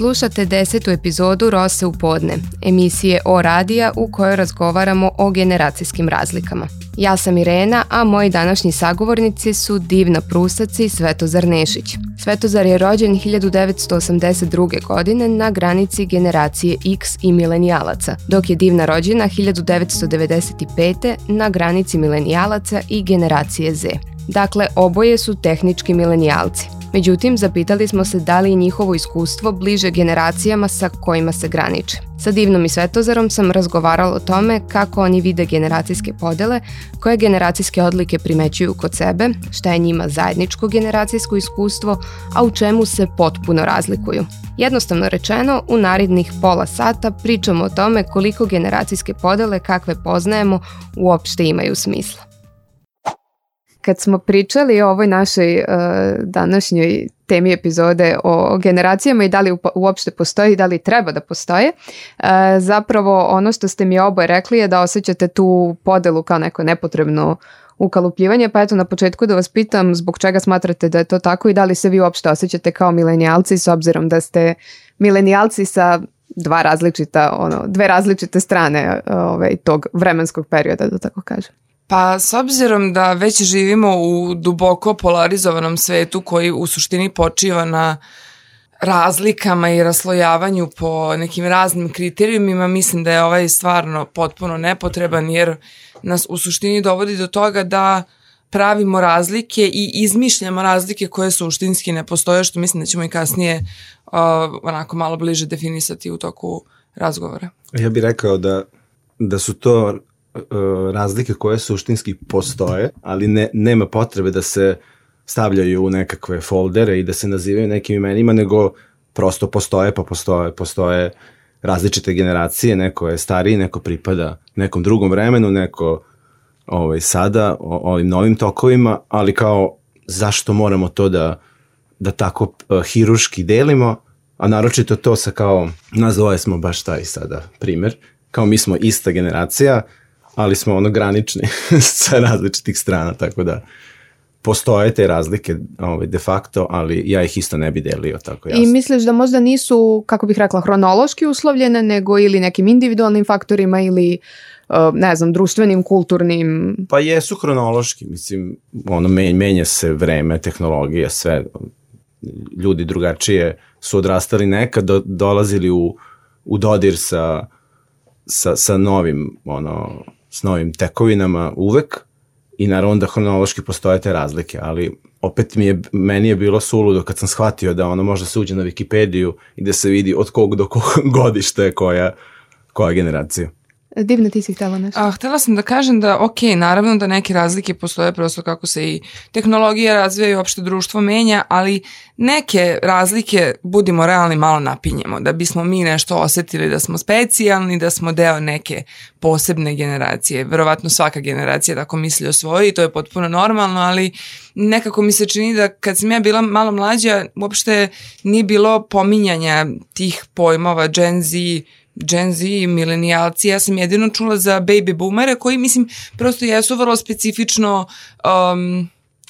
Slušate 10. epizodu Rose u podne, emisije o radija u kojoj razgovaramo o generacijskim razlikama. Ja sam Irena, a moji današnji sagovornici su Divna Prusac i Svetozar Nešić. Svetozar je rođen 1982. godine na granici generacije X i milenijalaca, dok je Divna rođena 1995. na granici milenijalaca i generacije Z. Dakle, oboje su tehnički milenijalci. Međutim, zapitali smo se da li je njihovo iskustvo bliže generacijama sa kojima se graniče. Sa Divnom i Svetozarom sam razgovarala o tome kako oni vide generacijske podele, koje generacijske odlike primećuju kod sebe, šta je njima zajedničko generacijsko iskustvo, a u čemu se potpuno razlikuju. Jednostavno rečeno, u narednih pola sata pričamo o tome koliko generacijske podele kakve poznajemo uopšte imaju smisla. Kad smo pričali o ovoj našoj današnjoj temi epizode o generacijama i da li uopšte postoji i da li treba da postoje, zapravo ono što ste mi oboje rekli je da osjećate tu podelu kao neko nepotrebno ukalupljivanje, pa eto na početku da vas pitam zbog čega smatrate da je to tako i da li se vi uopšte osjećate kao milenijalci s obzirom da ste milenijalci sa dve različite strane tog vremenskog perioda, da tako kažem. Pa s obzirom da već živimo u duboko polarizovanom svetu koji u suštini počiva na razlikama i raslojavanju po nekim raznim kriterijumima, mislim da je ovaj stvarno potpuno nepotreban jer nas u suštini dovodi do toga da pravimo razlike i izmišljamo razlike koje suštinski ne postoje, što mislim da ćemo i kasnije onako malo bliže definisati u toku razgovora. Ja bih rekao da su to razlike koje suštinski postoje, ali nema potrebe da se stavljaju u nekakve foldere i da se nazivaju nekim imenima, nego prosto postoje različite generacije, neko je stariji, neko pripada nekom drugom vremenu, neko sada ovim novim tokovima, ali kao zašto moramo to da tako hiruški delimo, a naročito to sa kao nas dvoje smo baš taj sada primer, kao mi smo ista generacija, ali smo granični sa različitih strana, tako da postoje te razlike de facto, ali ja ih isto ne bi delio tako jasno. I misliš da možda nisu, kako bih rekla, hronološki uslovljene, nego ili nekim individualnim faktorima ili društvenim, kulturnim? Pa jesu hronološki, mislim, menja se vreme, tehnologija, sve, ljudi drugačije su odrastali nekad, dolazili u dodir sa novim, s novim tekovinama uvek i naravno da hronološki postoje te razlike, ali opet meni je bilo suludo kad sam shvatio da može se uđe na Wikipediju i da se vidi od kog do kog godišta je koja generacija. Divna, ti si htjela nešto? Htjela sam da kažem da naravno da neke razlike postoje prosto kako se i tehnologija razvija i uopšte društvo menja, ali neke razlike, budimo realni, malo napinjemo, da bismo mi nešto osetili da smo specijalni, da smo deo neke posebne generacije. Verovatno svaka generacija tako misli o svojoj i to je potpuno normalno, ali nekako mi se čini da kad sam ja bila malo mlađa, uopšte nije bilo pominjanja tih pojmova Gen Z i milenijalci. Ja sam jedino čula za baby boomere koji, mislim, prosto jesu vrlo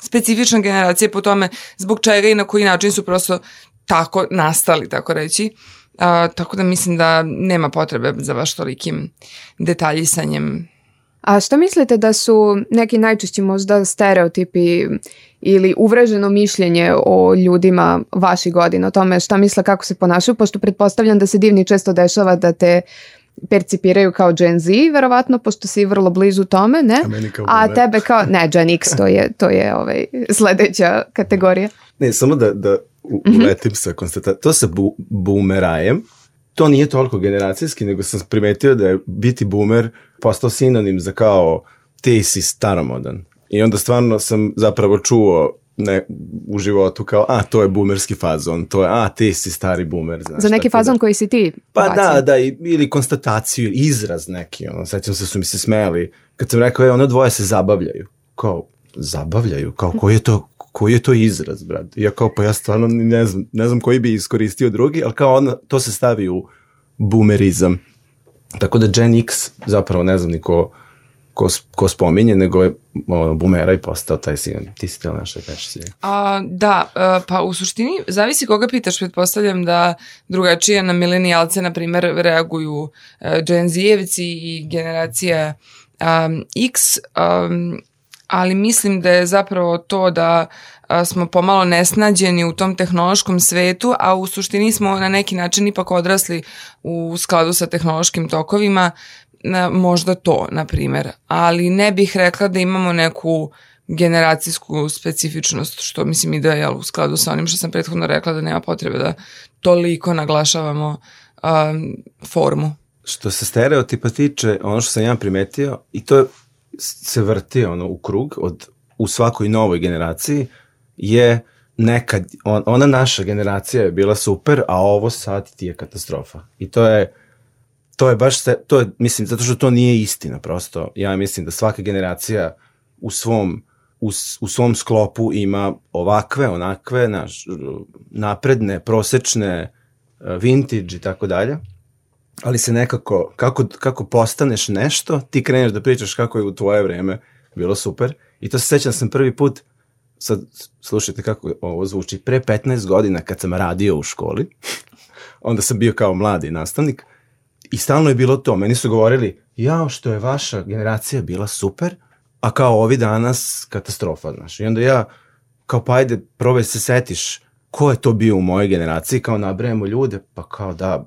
specifična generacija po tome zbog čega i na koji način su prosto tako nastali, tako reći. Tako da mislim da nema potrebe za baš tolikim detaljisanjem. A što mislite da su neki najčešći možda stereotipi ili uvreženo mišljenje o ljudima vaših godina, o tome šta misle, kako se ponašaju, pošto pretpostavljam da se Divni često dešava da te percipiraju kao Gen Z, verovatno, pošto si vrlo blizu tome, ne? A tebe kao, ne, Gen X, to je sledeća kategorija. Ne, samo da uletim sa konstatacijom. To sa boomerajem, to nije toliko generacijski, nego sam primetio da je biti boomer postao sinonim za kao ti si staromodan. I onda stvarno sam zapravo čuo u životu kao, to je boomerski fazon, to je, ti si stari boomer. Znaš, za neki fazon koji si ti bacio. Pa da, ili konstataciju, izraz neki, sećam se su mi se smejali, kad sam rekao, ono dvoje se zabavljaju. Kao, zabavljaju? Kao, koji je to izraz, brat? Ja kao, pa ja stvarno ne znam koji bi iskoristio drugi, ali kao to se stavi u boomerizam. Tako da Gen X, zapravo ne znam ko spominje, nego je bumera i postao taj sin. Ti si teo nešto da kažeš si. Da, pa u suštini zavisi koga pitaš, pretpostavljam da drugačije na milenijalce, na primjer, reaguju Gen Z-evci i generacija X, ali mislim da je zapravo to da smo pomalo nesnađeni u tom tehnološkom svetu, a u suštini smo na neki način ipak odrasli u skladu sa tehnološkim tokovima, možda to, na primjer. Ali ne bih rekla da imamo neku generacijsku specifičnost, što mislim i da je u skladu sa onim što sam prethodno rekla, da nema potrebe da toliko naglašavamo formu. Što se stereotipa tiče, ono što sam ja primetio, i to se vrti u krug u svakoj novoj generaciji, je nekad, ona naša generacija je bila super, a ovo sad ti je katastrofa. I to je baš, mislim, zato što to nije istina prosto. Ja mislim da svaka generacija u svom sklopu ima ovakve, onakve, napredne, prosečne, vintage i tako dalje. Ali se nekako, kako postaneš nešto, ti kreneš da pričaš kako je u tvoje vreme bilo super. I to se sećam da sam prvi put, sad slušajte kako ovo zvuči, pre 15 godina kad sam radio u školi, onda sam bio kao mladi nastavnik, i stalno je bilo to. Meni su govorili, jao što je vaša generacija bila super, a kao ovi danas katastrofa, znaš. I onda ja, kao pa ajde, probaj se setiš ko je to bio u mojoj generaciji, kao nabrajamo ljude, pa kao da,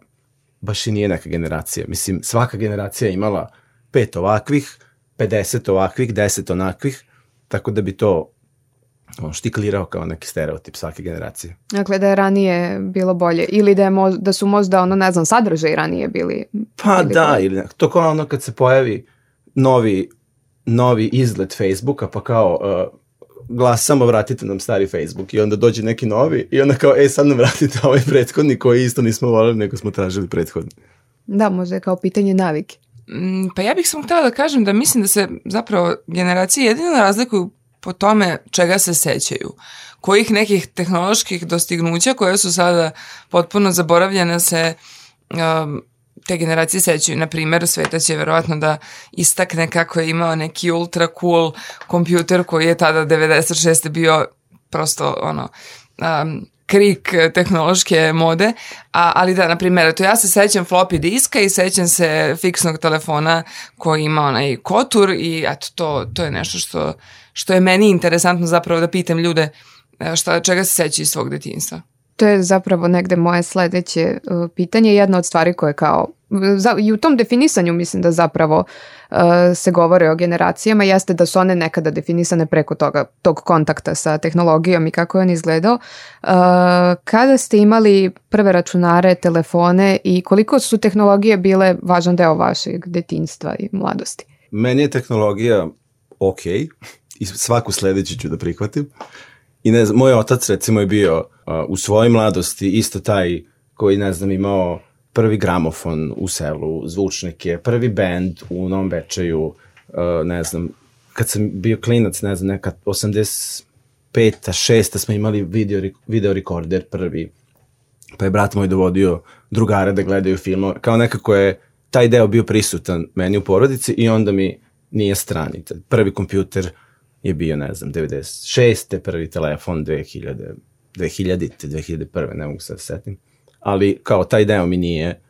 baš i nije neka generacija. Mislim, svaka generacija je imala 5 ovakvih, 50 ovakvih, 10 onakvih, tako da bi to štiklirao kao neki stereotip svake generacije. Dakle, da je ranije bilo bolje ili da su možda sadržaj ranije bili. Pa da, ili to kao ono kad se pojavi novi izgled Facebooka, pa kao glasamo, vratite nam stari Facebook, i onda dođe neki novi i onda kao, sad nam vratite ovaj prethodni koji isto nismo voljeli, nego smo tražili prethodni. Da, možda je kao pitanje navike. Pa ja bih samo htjela da kažem da mislim da se zapravo generacije jedino razlikuju po tome čega se sećaju. Kojih nekih tehnoloških dostignuća koje su sada potpuno zaboravljene se te generacije sećaju. Na primjer, Sveta će verovatno da istakne kako je imao neki ultra cool kompjuter koji je tada 96. bio prosto krik tehnološke mode, ali da, na primjer, ja se sećam floppy diska i sećam se fiksnog telefona koji ima onaj kotur, i eto, to je nešto što je meni interesantno zapravo da pitam ljude čega se sećaju iz svog detinjstva. To je zapravo negde moje sledeće pitanje. Jedna od stvari koje kao i u tom definisanju mislim da zapravo se govore o generacijama jeste da su one nekada definisane preko tog kontakta sa tehnologijom i kako je on izgledao. Kada ste imali prve računare, telefone i koliko su tehnologije bile važan deo vašeg detinjstva i mladosti? Meni je tehnologija ok i svaku sledeću ću da prihvatim. I ne znam, moj otac recimo je bio u svojoj mladosti isto taj koji, ne znam, imao prvi gramofon u selu, zvučnike, prvi bend u Novom Bečeju, ne znam, kad sam bio klinac, ne znam, neka 85. 6. smo imali video rekorder prvi, pa je brat moj dovodio drugare da gledaju filmove, kao nekako je taj deo bio prisutan meni u porodici i onda mi nije strani. Prvi kompjuter je bio, ne znam, 96. prvi telefon 2000. 2001. ne mogu se da setim. Ali kao taj deo mi nije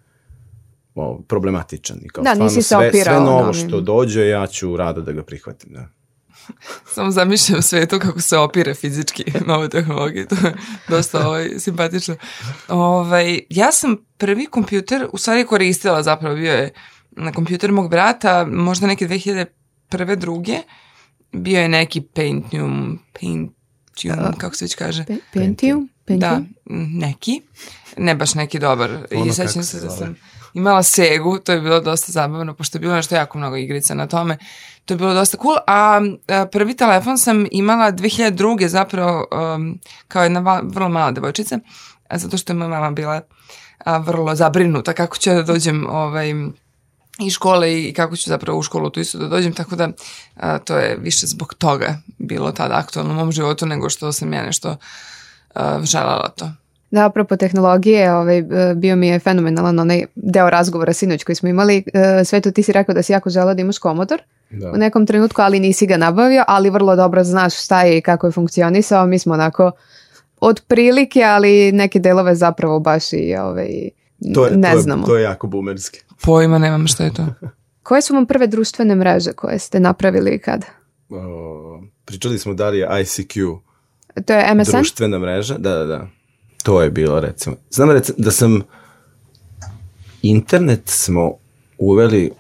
problematičan. I kao, da, nisi se opirao. Sve novo što dođe, ja ću rado da ga prihvatim. Da. Samo zamišljam svetu kako se opire fizički nove tehnologije. To je dosta simpatično. Ja sam prvi kompjuter u stvari koristila, zapravo bio je na kompjuter mog brata, možda neke 2001. 2. Bio je neki Pentium, kako se već kaže? Pentium? Da, neki. Ne baš neki dobar. I sećam se da sam imala Segu, to je bilo dosta zabavno, pošto je bilo nešto jako mnogo igrica na tome. To je bilo dosta cool. A prvi telefon sam imala 2002. zapravo kao jedna vrlo mala devojčica, zato što je moja mama bila vrlo zabrinuta kako ću da dođem iz škole i kako ću zapravo u školu tu isto da dođem, tako da to je više zbog toga bilo tada aktualno u mom životu nego što sam ja nešto željela to. Da, apropo tehnologije, bio mi je fenomenalan onaj deo razgovora sinoć koji smo imali. Sveto, ti si rekao da si jako želeo da imaš Commodore. u nekom trenutku, ali nisi ga nabavio, ali vrlo dobro znaš šta je i kako je funkcionisao. Mi smo onako od prilike, ali neke delove zapravo baš i ne znamo. To je jako boomerski. Pojma nemam šta je to. Koje su vam prve društvene mreže koje ste napravili i kada? Pričali smo da li je ICQ To je MSN? društvena mreža. Da. To je bilo, recimo. Znam da sam internet smo uveli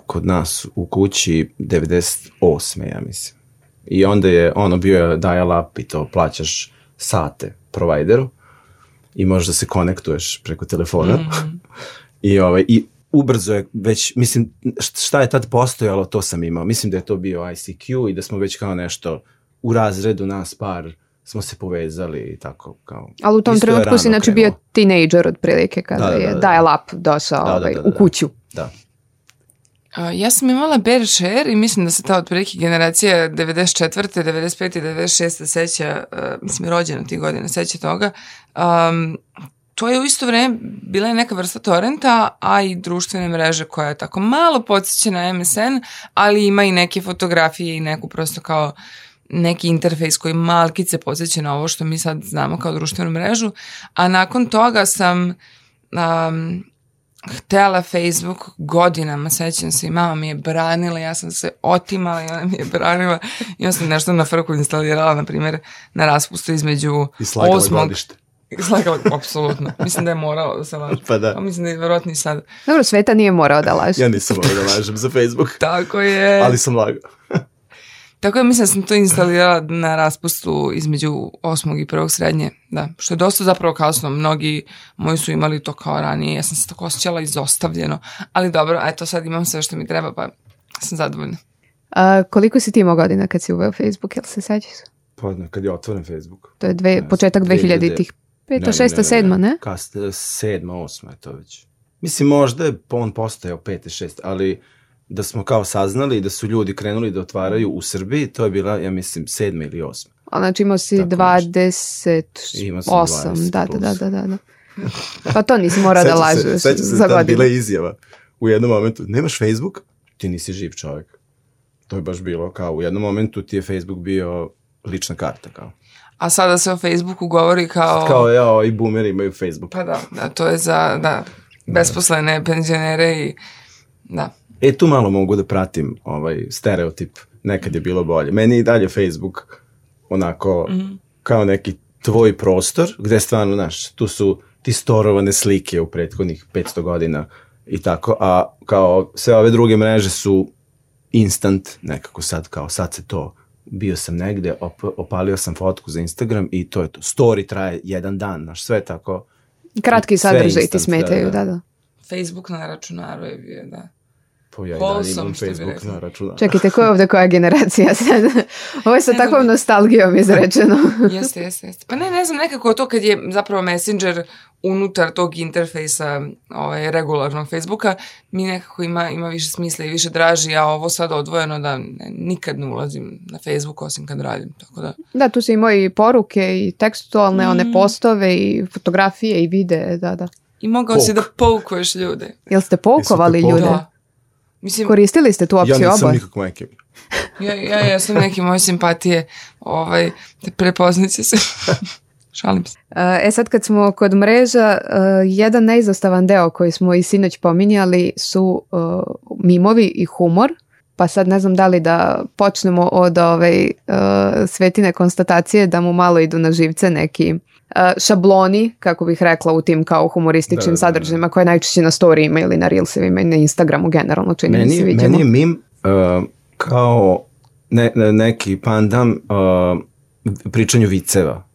kod nas u kući 98. ja mislim. I onda je bio dial-up i to plaćaš sate provideru i možeš da se konektuješ preko telefona. I ubrzo je već, mislim, šta je tad postojalo, to sam imao. Mislim da je to bio ICQ i da smo već kao nešto u razredu nas par smo se povezali i tako kao. Ali u tom trenutku si znači bio teenager otprilike kada je dial-up došao u kuću. Da. Ja sam imala bear share i mislim da se ta otprilike generacija 94. 95. i 96. seća, mislim rođena tih godina, seća toga. To je u isto vreme bila je neka vrsta torrenta, a i društvene mreže koja je tako malo podsjeća na MSN, ali ima i neke fotografije i neku prosto kao neki interfejs koji malkice podsjeća na ovo što mi sad znamo kao društvenu mrežu. A nakon toga sam htjela Facebook godinama, sećam se i mama mi je branila, ja sam se otimala i ona mi je branila i onda sam nešto na frku instalirala, na primjer, na raspustu između 8. I slagala godište. Slagala, apsolutno. Mislim da je moralo da se laže. Pa da. Mislim da je vjerojatno i sad. Dobro, Sveta nije morao da laže. Ja nisam morao da lažem za Facebook. Tako je. Ali sam lagao. Tako je, mislim da sam to instalirala na raspustu između 8. i 1. srednje, da, što je dosta zapravo kasno, mnogi moji su imali to kao ranije, ja sam se tako osjećala izostavljeno, ali dobro, eto sad imam sve što mi treba, pa sam zadovoljna. Koliko si ti imao godina kad si uveo Facebook, jel se sećaš? Pa kad je otvoren Facebook. To je početak 2000-ih, 5, 6, 7, ne? 7, 8 je to već. Mislim, možda je on postojao 5, 6, ali da smo kao saznali da su ljudi krenuli da otvaraju u Srbiji, to je bila, ja mislim, 7. ili 8. A znači imao si 28, da. Pa to nisi morao da lažeš za godinu. Sećam se tad bila izjava u jednom momentu, nemaš Facebook? Ti nisi živ čovjek. To je baš bilo kao, u jednom momentu ti je Facebook bio lična karta kao. A sada se o Facebooku govori kao... Kao i boomeri imaju Facebook. Pa da, to je za besposlene penzionere i da. Tu malo mogu da pratim stereotip, nekad je bilo bolje. Meni je i dalje Facebook onako kao neki tvoj prostor, gde stvarno, znaš, tu su ti storovane slike u prethodnih 500 godina i tako, a kao sve ove druge mreže su instant nekako sad, kao sad se to, bio sam negde, opalio sam fotku za Instagram i to je to. Story traje jedan dan, znaš, sve tako. Kratki sadržaj ti smetaju, da. Facebook na računaru je bio, da. Ja i dalje imam Facebook na računaru. Čekajte, ko je ovdje koja generacija sad? Ovo je sa takvom nostalgijom izrečeno. Jeste. Pa ne znam, nekako to kad je zapravo Messenger unutar tog interfejsa regularnog Facebooka, mi nekako ima više smisla i više draži, a ovo sad odvojeno da nikad ne ulazim na Facebook osim kad radim, tako da. Da, tu su i moje poruke i tekstualne, one postove i fotografije i videe, da. I mogao si da poukuješ ljude. Jel ste poukovali ljude? Da. Mislim, koristili ste tu opciju oba? Ja nisam nikako majke. Ja sam neke moje simpatije prepoznaće se. Šalim se. Sad kad smo kod mreža, jedan neizostavan deo koji smo i sinoć pominjali su mimovi i humor. Pa sad ne znam da li da počnemo od Svetine konstatacije da mu malo idu na živce neki šabloni, kako bih rekla, u tim kao humorističnim sadržajima koje najčešće na storijima ili na reelsevima i na Instagramu generalno čini mi se vidimo. Meni je mim kao neki pandam pričanju viceva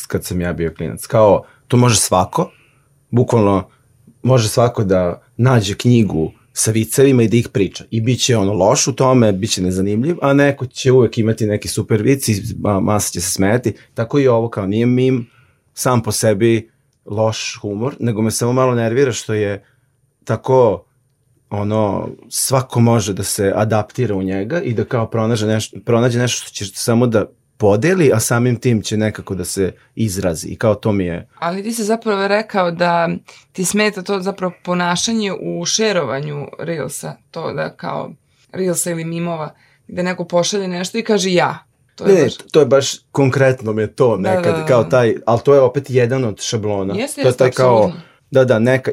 kad sam ja bio klinac. Kao, to može svako, bukvalno može svako da nađe knjigu sa vicevima i da ih priča. I bit će loš u tome, bit će nezanimljiv, a neko će uvek imati neki super vic i masa će se smeti. Tako i ovo, kao nije mim sam po sebi loš humor, nego me samo malo nervira što je tako, svako može da se adaptira u njega i da kao pronađe nešto što će samo da podeli, a samim tim će nekako da se izrazi i kao to mi je. Ali ti si zapravo rekao da ti smeta to zapravo ponašanje u šerovanju Reelsa, to da kao Reelsa ili mimova, gde neko pošalje nešto i kaže ja. To je baš konkretno mi je to nekad, kao taj, ali to je opet jedan od šablona. Jeste, taj kao,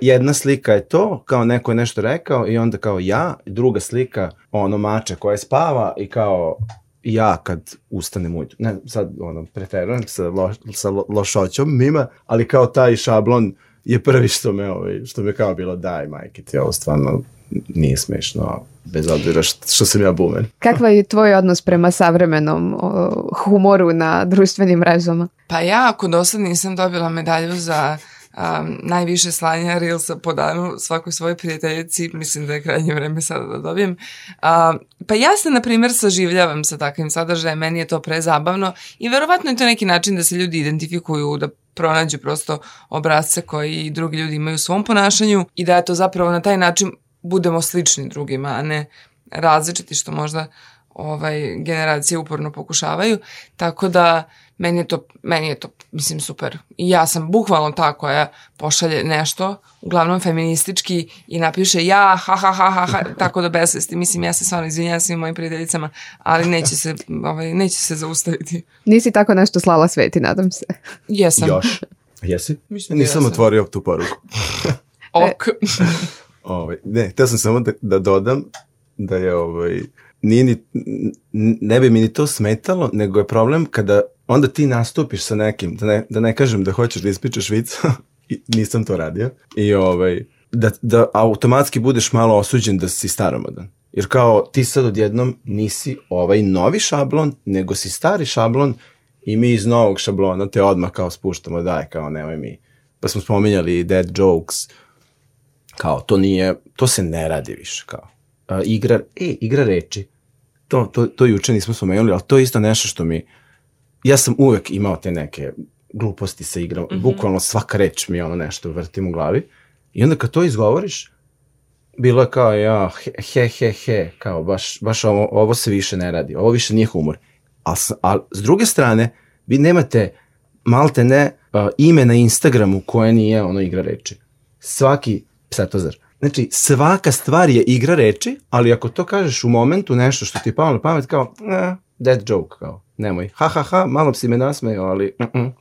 jedna slika je to, kao neko je nešto rekao i onda kao ja, druga slika, mače koja spava i kao ja kad ustanem ujutru. Ne, sad preferujem sa lošoćom mima, ali kao taj šablon je prvi što me kao bilo daj majke ti, ovo stvarno nije smešno, bez obzira što sam ja bumen. Kakva je tvoj odnos prema savremenom humoru na društvenim mrežama? Pa ja, ako do sad nisam dobila medalju za najviše slanja Reelsa po danu svakoj svojoj prijateljici, mislim da je krajnje vreme sada da dobijem. Pa ja se, na primjer, saživljavam sa takvim sadržajem, meni je to prezabavno i verovatno je to neki način da se ljudi identifikuju, da pronađu prosto obrazce koji drugi ljudi imaju u svom ponašanju i da je to zapravo na taj način budemo slični drugima, a ne različiti, što možda generacije uporno pokušavaju. Tako da meni je to, mislim, super. I ja sam bukvalno ta koja pošalje nešto, uglavnom feministički, i napiše ja, ha, tako da besvesti. Mislim, ja se stvarno izvinjam svim mojim prijateljicama, ali neće se zaustaviti. Nisi tako nešto slala Sveti, nadam se. Jesam. Još? Jesi? Nisam otvorio tu poruku. Ok. Ne, htio sam samo da dodam da je ne bi mi ni to smetalo, nego je problem kada onda ti nastupiš sa nekim, da ne kažem da hoćeš da ispričaš vic, nisam to radio, i da automatski budeš malo osuđen da si staromodan. Jer kao ti sad odjednom nisi ovaj novi šablon, nego si stari šablon i mi iz novog šablona te odmah kao spuštamo, daj, kao nemoj mi. Pa smo spominjali dead jokes, kao to se ne radi više, kao igra reči. To juče nismo spomenuli, ali to je isto nešto što ja sam uvek imao te neke gluposti sa igram, bukvalno svaka reč mi nešto vrtim u glavi, i onda kad to izgovoriš, bilo je kao he, kao baš ovo se više ne radi, ovo više nije humor. A s druge strane, vi nemate malte ne ime na Instagramu koje nije igra reči. Svaki psetozar. Znači, svaka stvar je igra reči, ali ako to kažeš u momentu nešto što ti je palo na pamet, kao, dead joke, kao, nemoj, ha, malo si me nasmejao, ali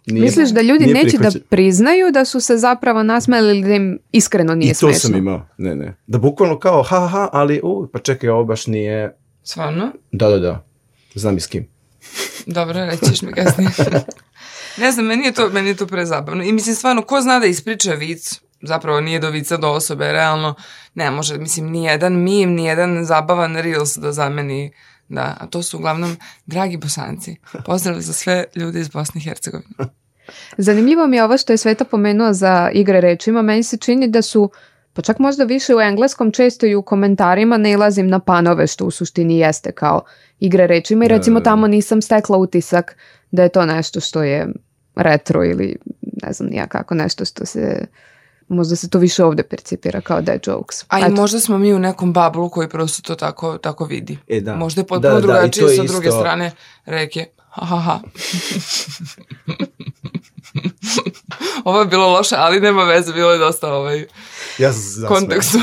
nije. Misliš da ljudi neće da priznaju da su se zapravo nasmejali ili da im iskreno nije smešno? I to sam imao, ne. Da bukvalno kao, ha, ali, pa čekaj, ovo baš nije... Stvarno? Da. Znam i s kim. Dobro, rećiš mi kasnije. Ne znam, meni je to prezabavno. I mislim, stvarno, ko zna da ispriča vic, zapravo nije do vica do osobe, realno ne može, mislim, nijedan meme, nijedan zabavan Reels da zameni, da, a to su uglavnom dragi Bosanci. Pozdrav za sve ljude iz Bosne i Hercegovine. Zanimljivo mi je ovo što je Sveta pomenuo za igre rečima, meni se čini da su, pa čak možda više u engleskom, često i u komentarima nailazim na panove, što u suštini jeste kao igre rečima, i recimo tamo nisam stekla utisak da je to nešto što je retro ili ne znam nija kako, nešto što se... Možda se to više ovdje percipira kao dead jokes. A i možda smo mi u nekom bablu koji prosto to tako vidi. Da. Možda je potpuno drugačije sa druge strane reke. Ha. Ovo je bilo loše, ali nema veze, bilo je dosta kontekstu.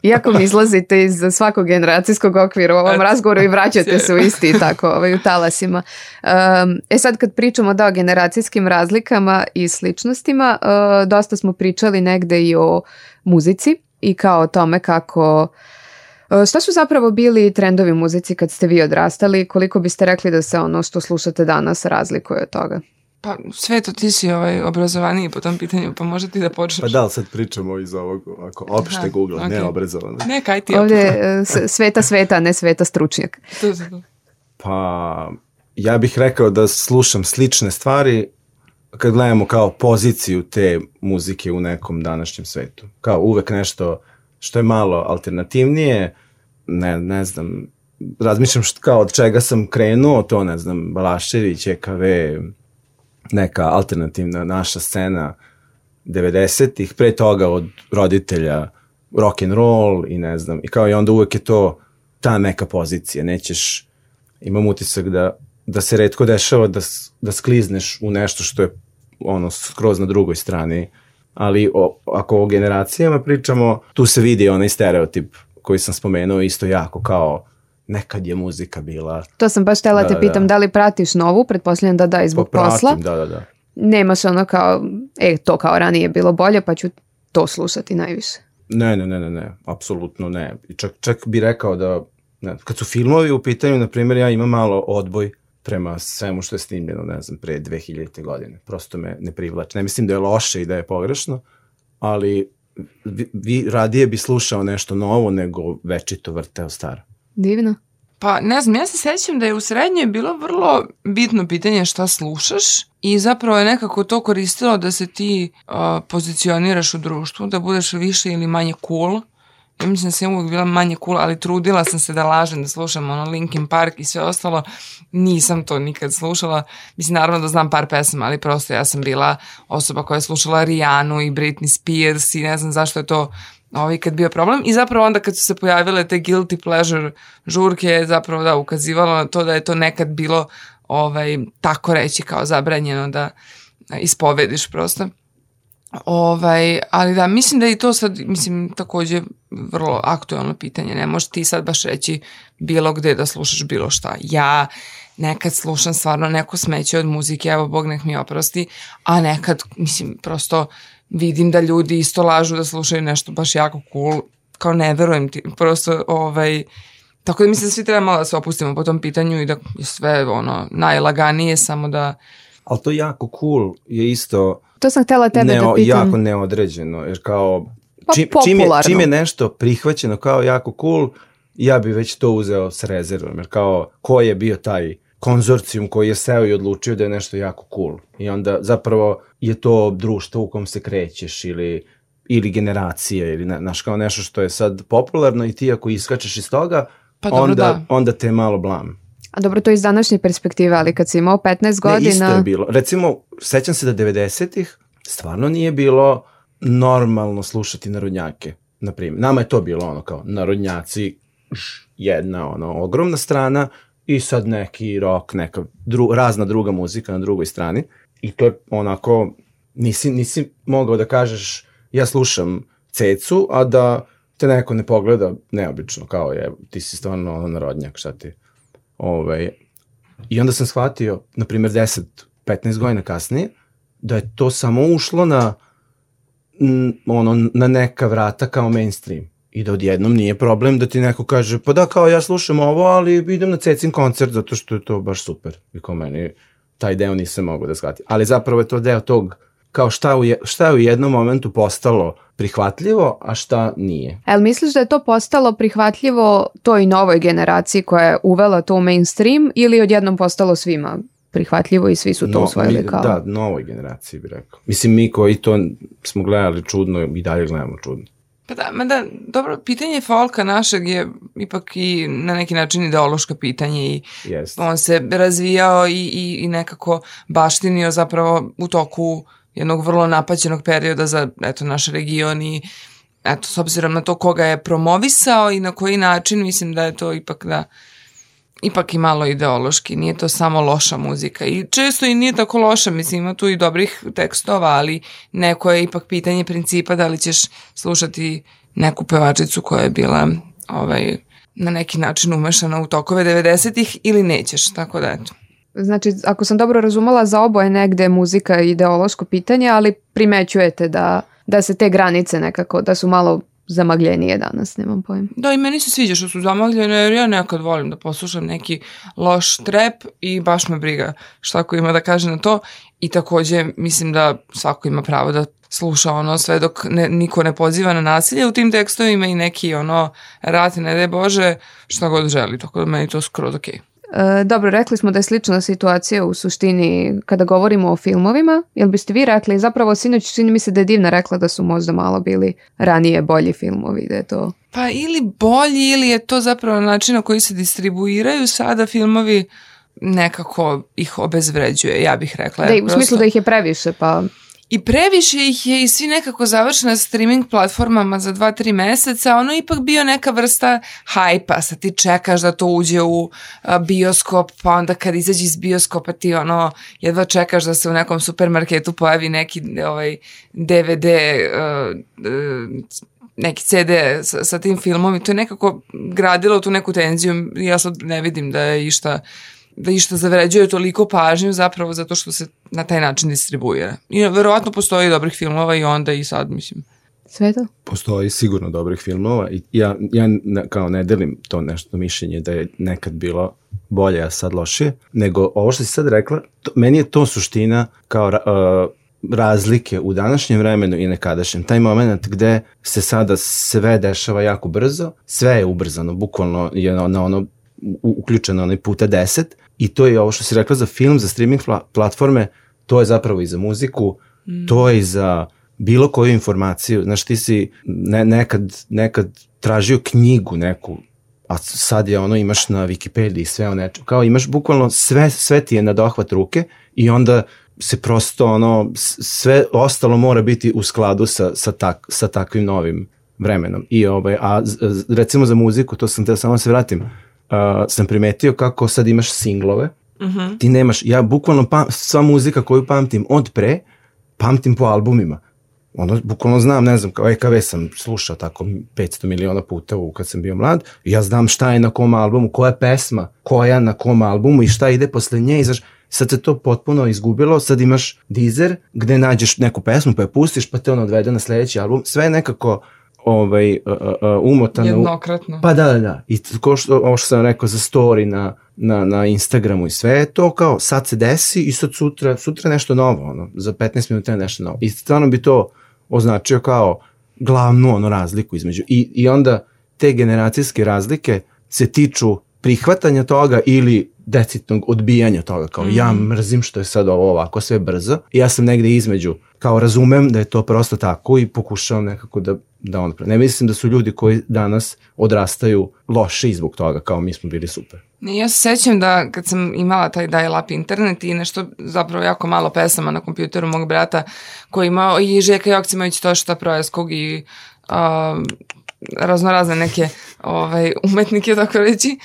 Iako mi izlazite iz svakog generacijskog okvira u ovom razgovoru i vraćate se u isti tako u talasima. Sad kad pričamo o generacijskim razlikama i sličnostima, dosta smo pričali negde i o muzici i kao o tome kako... Šta su zapravo bili trendovi u muzici kad ste vi odrastali? Koliko biste rekli da se ono što slušate danas razlikuje od toga? Pa Sveto, ti si obrazovaniji po tom pitanju, pa možda ti da počneš. Pa da, sad pričamo iz ovog opšte Google, ne obrazovano. Ne, kaj ti ovdje Sveta, ne Sveta stručnjak. To. Pa ja bih rekao da slušam slične stvari kad gledamo kao poziciju te muzike u nekom današnjem svetu. Kao uvek nešto što je malo alternativnije, ne znam, razmišljam kao od čega sam krenuo, to ne znam, Balašević, EKV, neka alternativna naša scena 90-ih, pre toga od roditelja rock and roll i ne znam, i kao i onda uvek je to ta neka pozicija, nećeš, imam utisak da se retko dešava da sklizneš u nešto što je skroz na drugoj strani, ali ako o generacijama pričamo, tu se vidi onaj stereotip koji sam spomenuo isto jako kao nekad je muzika bila. To sam baš htjela te pitam, da li pratiš novu, pretpostavljam da i zbog posla. Da. Nemaš ono kao, to kao ranije je bilo bolje, pa ću to slušati najviše. Ne, apsolutno ne. Čak bi rekao da, kad su filmovi u pitanju, na primjer, ja imam malo odboj prema svemu što je snimljeno, ne znam, pre 2000. godine. Prosto me ne privlači. Ne mislim da je loše i da je pogrešno, ali radije bi slušao nešto novo nego večito vrteo staro. Divno. Pa ne znam, ja se sjećam da je u srednjoj bilo vrlo bitno pitanje šta slušaš i zapravo je nekako to koristilo da se ti pozicioniraš u društvu, da budeš više ili manje cool. Ja mislim da sam uvijek bila manje cool, ali trudila sam se da lažem, da slušam Linkin Park i sve ostalo. Nisam to nikad slušala. Mislim, naravno da znam par pesama, ali prosto ja sam bila osoba koja je slušala Rihanu i Britney Spears i ne znam zašto je to kad bio problem. I zapravo onda kad su se pojavile te guilty pleasure žurke je zapravo ukazivalo na to da je to nekad bilo tako reći kao zabranjeno da ispovediš prosto. Ali da, mislim da je i to sad, također vrlo aktualno pitanje. Ne možeš ti sad baš reći bilo gde da slušaš bilo šta. Ja nekad slušam stvarno neko smeće od muzike, evo Bog nek mi oprosti, a nekad, prosto vidim da ljudi isto lažu da slušaju nešto baš jako cool, kao ne verujem ti, prosto, tako da mislim da svi treba malo da se opustimo po tom pitanju i da je sve najlaganije, samo da... Ali to jako cool je isto... To sam htjela tebe da pitam. Jako neodređeno, jer kao popularno. Čim je nešto prihvaćeno kao jako cool, ja bi već to uzeo s rezervom, jer kao ko je bio taj konzorcijum koji je seo i odlučio da je nešto jako cool. I onda zapravo je to društvo u kom se krećeš ili generacije, ili kao nešto što je sad popularno i ti ako iskačeš iz toga, onda te je malo blam. A dobro, to je iz današnje perspektive, ali kad si imao 15 godina... Ne, isto je bilo. Recimo, sećam se da 90-ih stvarno nije bilo normalno slušati narodnjake. Naprimjer, nama je to bilo kao narodnjaci, jedna ogromna strana i sad neki rock, neka razna druga muzika na drugoj strani. I to je onako, nisi mogao da kažeš ja slušam Cecu, a da te neko ne pogleda neobično, kao je, ti si stvarno narodnjak, šta ti... I onda sam shvatio, na primjer 10-15 godina kasnije, da je to samo ušlo na neka vrata kao mainstream. I da odjednom nije problem da ti neko kaže, pa da, kao ja slušam ovo, ali idem na Cecin koncert zato što je to baš super. I kao meni taj deo nisam mogao da shvatim. Ali zapravo je to deo tog, kao šta je u jednom momentu postalo prihvatljivo, a šta nije. Ali misliš da je to postalo prihvatljivo toj novoj generaciji koja je uvela to u mainstream ili odjednom postalo svima prihvatljivo i svi su to usvojili kao? Da, novoj generaciji bi rekao. Mislim, mi koji to smo gledali čudno i dalje gledamo čudno. Pa da, dobro, pitanje folka našeg je ipak i na neki način ideološko pitanje i on se razvijao i nekako baštinio zapravo u toku jednog vrlo napaćenog perioda za naš region i s obzirom na to koga je promovisao i na koji način, mislim da je to ipak i malo ideološki, nije to samo loša muzika i često i nije tako loša, mislim ima tu i dobrih tekstova, ali neko je ipak pitanje principa da li ćeš slušati neku pevačicu koja je bila na neki način umešana u tokove 90-ih ili nećeš, tako da eto. Znači, ako sam dobro razumela, za oboje negde muzika je ideološko pitanje, ali primećujete da se te granice nekako, da su malo zamagljenije danas, nemam pojma. Da, i meni se sviđa što su zamagljene, jer ja nekad volim da poslušam neki loš trap i baš me briga šta ko ima da kaže na to. I također mislim da svako ima pravo da sluša sve dok niko ne poziva na nasilje u tim tekstovima i neki rat, ne daj Bože, šta god želi, tako da meni to skroz okej. Dobro, rekli smo da je slična situacija u suštini kada govorimo o filmovima. Jel biste vi rekli, zapravo sinoć čini mi se da je Divna rekla da su možda malo bili ranije bolji filmovi, da je to... Pa ili bolji ili je to zapravo način na koji se distribuiraju sada filmovi nekako ih obezvređuje, ja bih rekla. Da, u smislu da ih je previše, pa... I previše ih je i svi nekako završeni na streaming platformama za 2-3 meseca, ono ipak bio neka vrsta hajpa, sad ti čekaš da to uđe u bioskop, pa onda kad izađe iz bioskopa ti jedva čekaš da se u nekom supermarketu pojavi neki DVD neki CD sa tim filmom i to je nekako gradilo tu neku tenziju. Ja sad ne vidim da išta zavređuje toliko pažnju zapravo zato što se na taj način distribuira. I verovatno postoji dobrih filmova i onda i sad, mislim. Sveto? Postoji sigurno dobrih filmova i ja kao ne delim to nešto mišljenje da je nekad bilo bolje, a sad lošije, nego ovo što si sad rekla, meni je to suština kao razlike u današnjem vremenu i nekadašnjem. Taj moment gde se sada sve dešava jako brzo, sve je ubrzano, bukvalno je na ono uključeno onaj puta 10 i to je ovo što si rekla za film, za streaming platforme, to je zapravo i za muziku, to je i za bilo koju informaciju. Znaš, ti si nekad tražio knjigu neku, a sad je ono imaš na Wikipediji sve o nečem. Kao imaš bukvalno sve ti je na dohvat ruke i onda se prosto ono, sve ostalo mora biti u skladu sa takvim novim vremenom. I recimo za muziku, to sam teo samo se vratim, sam primetio kako sad imaš singlove, ti nemaš, ja bukvalno sva muzika koju pamtim od pre, pamtim po albumima. Ono, bukvalno znam, ne znam, kao EKV sam slušao tako 500 miliona puta kad sam bio mlad, i ja znam šta je na kom albumu, koja pesma, koja na kom albumu i šta ide posle nje, i sad se to potpuno izgubilo, sad imaš Deezer gde nađeš neku pesmu pa je pustiš pa te ono odvede na sledeći album, sve je nekako umotano. Jednokratno. Pa da. I ovo što sam rekao za story na Instagramu i sve je to kao sad se desi i sad sutra nešto novo, ono, za 15 minuta je nešto novo. I stvarno bi to označio kao glavnu razliku između. I onda te generacijske razlike se tiču prihvatanja toga ili decidnog odbijanja toga, kao ja mrzim što je sad ovo ovako sve brzo i ja sam negde između, kao razumem da je to prosto tako i pokušavam nekako da ono, ne mislim da su ljudi koji danas odrastaju loši zbog toga, kao mi smo bili super. Ja se sećam da kad sam imala taj dial-up internet i nešto zapravo jako malo pesama na kompjuteru mog brata koji imao i Željka Joksimović Tošta Projeskog i raznorazne neke umetnike, tako reći,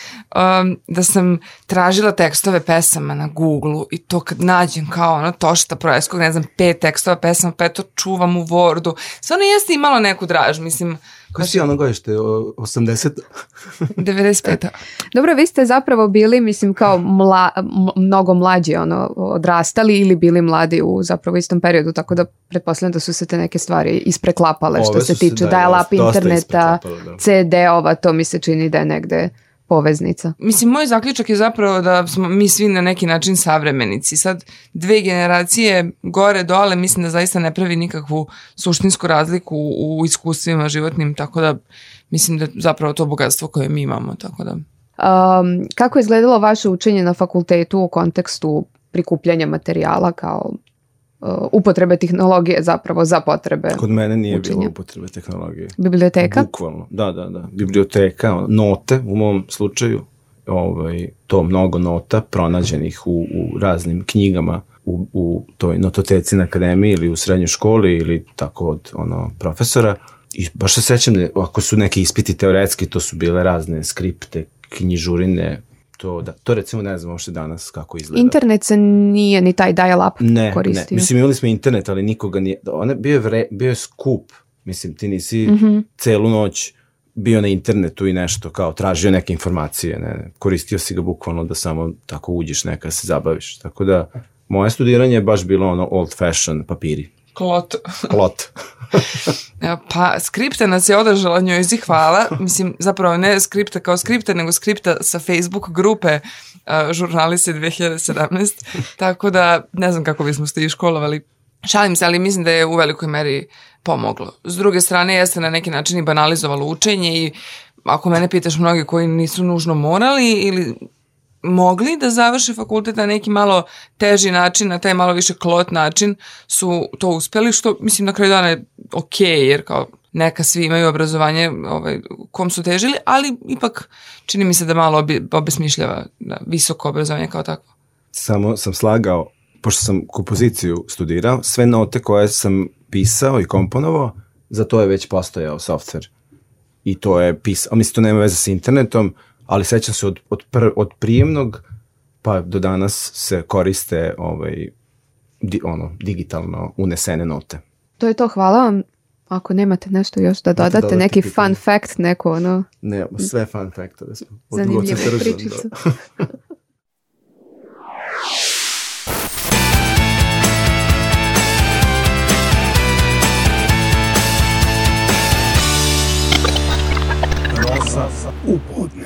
da sam tražila tekstove pesama na Google-u i to kad nađem kao ono Tošta Projeskog, ne znam, 5 tekstova pesama, pa to čuvam u Wordu. Stvarno jeste imalo neku draž, mislim. Kako si ono godište, 80? 95. Dobro, vi ste zapravo bili, mislim, kao mnogo mlađi, odrastali ili bili mladi u zapravo istom periodu, tako da pretpostavljam da su se te neke stvari ispreklapale što se tiče dial-up interneta, CD-ova, to mi se čini da je negde poveznica. Mislim, moj zaključak je zapravo da smo mi svi na neki način savremenici. Sad, 2 generacije gore, dole, mislim da zaista ne pravi nikakvu suštinsku razliku u iskustvima životnim, tako da mislim da zapravo to bogatstvo koje mi imamo, tako da. Kako je izgledalo vaše učenje na fakultetu u kontekstu prikupljanja materijala kao upotrebe tehnologije zapravo za potrebe Kod mene nije učenja. bilo upotrebe tehnologije. Biblioteka? Bukvalno, da. Biblioteka, note u mom slučaju, to mnogo nota pronađenih u raznim knjigama u toj nototeci na akademiji ili u srednjoj školi ili tako od profesora. I baš se sećam da ako su neki ispiti teoretski, to su bile razne skripte, knjižurine. To recimo ne znam uopšte danas kako izgleda. Internet se nije ni taj dial-up koristio. Ne, mislim imali smo internet, ali nikoga nije, bio je skup, mislim ti nisi celu noć bio na internetu i nešto kao tražio neke informacije, ne, koristio si ga bukvalno da samo tako uđeš neka se zabaviš, tako da moje studiranje je baš bilo old fashion papiri. Klot. Pa skripta nas je održala, njoj zi hvala. Mislim, zapravo ne skripta kao skripta, nego skripta sa Facebook grupe Žurnalisti 2017. Tako da ne znam kako bismo ste i školovali. Šalim se, ali mislim da je u velikoj meri pomoglo. S druge strane, jeste na neki način i banalizovalo učenje i ako mene pitaš, mnogi koji nisu nužno morali ili mogli da završe fakultet na neki malo teži način, na taj malo više klot način su to uspjeli, što mislim na kraju dana je ok, jer kao neka svi imaju obrazovanje kom su težili, ali ipak čini mi se da malo obesmišljava visoko obrazovanje kao tako. Samo sam slagao, pošto sam kompoziciju studirao, sve note koje sam pisao i komponovao, za to je već postojao software. I to je pisao, mislim to nema veze sa internetom, ali sećam se od prijemnog pa do danas se koriste digitalno unesene note. To je to, hvala vam. Ako nemate nešto još da dodate, neki fun fact, neko ono... Ne, sve fun faktove smo. Zanimljivu pričicu. Rosa u podne.